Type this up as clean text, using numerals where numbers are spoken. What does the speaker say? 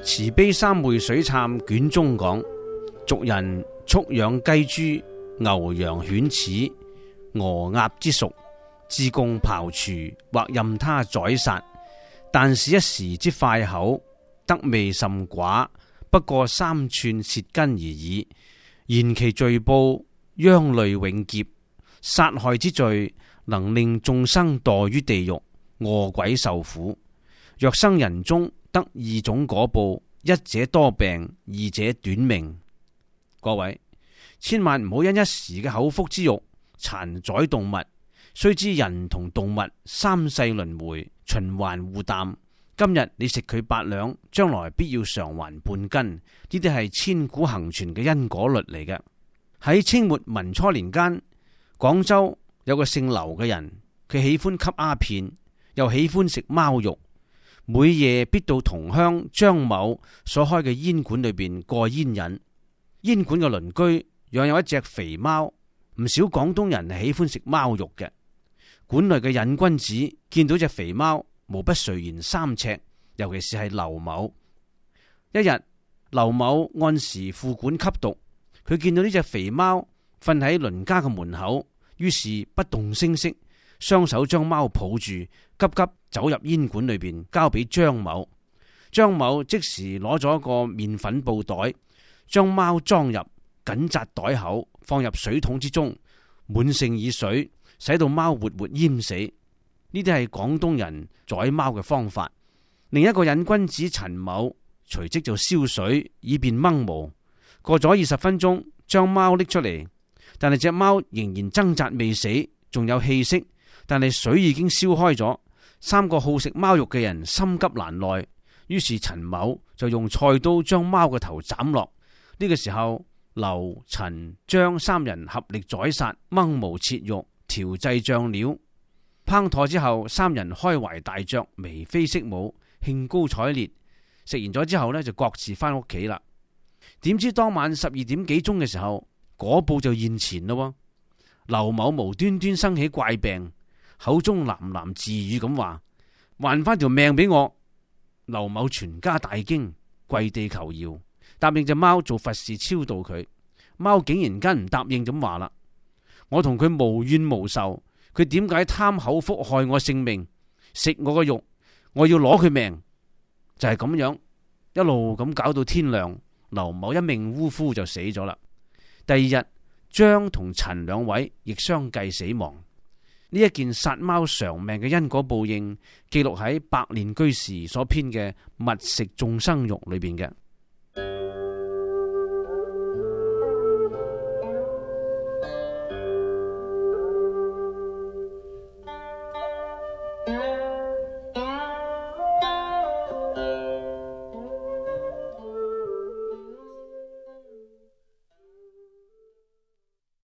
慈悲三昧水懺卷中講，俗人畜養雞豬、牛羊犬齒、鵝鴨之屬，自供庖廚或任他宰殺，但是一時之快口，得味甚寡，不過3寸舌根而已。然其罪報，殃累永劫。殺害之罪，能令眾生墮於地獄，餓鬼受苦。若生人中，得2種果報，一者多病，二者短命。各位千萬唔好因一時嘅口腹之欲殘宰動物，須知人同動物3世輪迴，循環互淡。今日你食佢8兩，將來必要償還半斤。呢啲係千古恒存嘅因果律嚟嘅。喺清末民初年間，廣州有個姓劉嘅人，佢喜歡吸鴉片，又喜歡食貓肉，每夜必到同鄉張某所開嘅煙館裏邊過煙癮。煙館嘅鄰居養有一隻肥貓，唔少廣東人係喜歡食貓肉嘅。館內嘅癮君子見到隻肥貓，無不垂涎3尺，尤其是係劉某。一日，劉某按時赴館吸毒，佢見到呢隻肥貓瞓喺鄰家嘅門口，於是不動聲色，雙手將貓抱住，急急走入煙館裏邊，交俾張某。張某即時攞咗個麵粉布袋，將貓裝入，緊紮袋口，放入水桶之中，滿盛以水，使到貓活活淹死。呢啲係廣東人宰貓嘅方法。另一個癮君子陳某隨即就燒水，以便掹毛。過咗20分鐘，將貓拎出嚟，但係隻貓仍然掙扎未死，仲有氣息，但係水已經燒開咗。3個好食貓肉嘅人心急難耐，於是陳某就用菜刀將貓嘅頭斬落。呢個時候，劉、陳、張3人合力宰殺，掹毛切肉，調製醬料。烹妥之後，3人開懷大嚼，眉飛色舞，興高采烈。食完咗之後呢，就各自翻屋企啦。點知當晚12點幾鐘嘅時候，果報就現前咯。劉某無端端生起怪病，口中喃喃自語咁話：還翻條命俾我。劉某全家大驚，跪地求饒，答應隻貓做佛事超度佢。貓竟然間唔答應咁話啦：我同佢無怨無仇，佢點解貪口福害我性命，食我個肉，我要攞佢命。就係咁樣一路咁搞到天亮，劉某一命嗚呼就死咗啦。第二日，張同陳2位亦相繼死亡。呢一件殺貓償命嘅因果報應，記錄喺百煉居士所編嘅《物食眾生肉》裏邊嘅。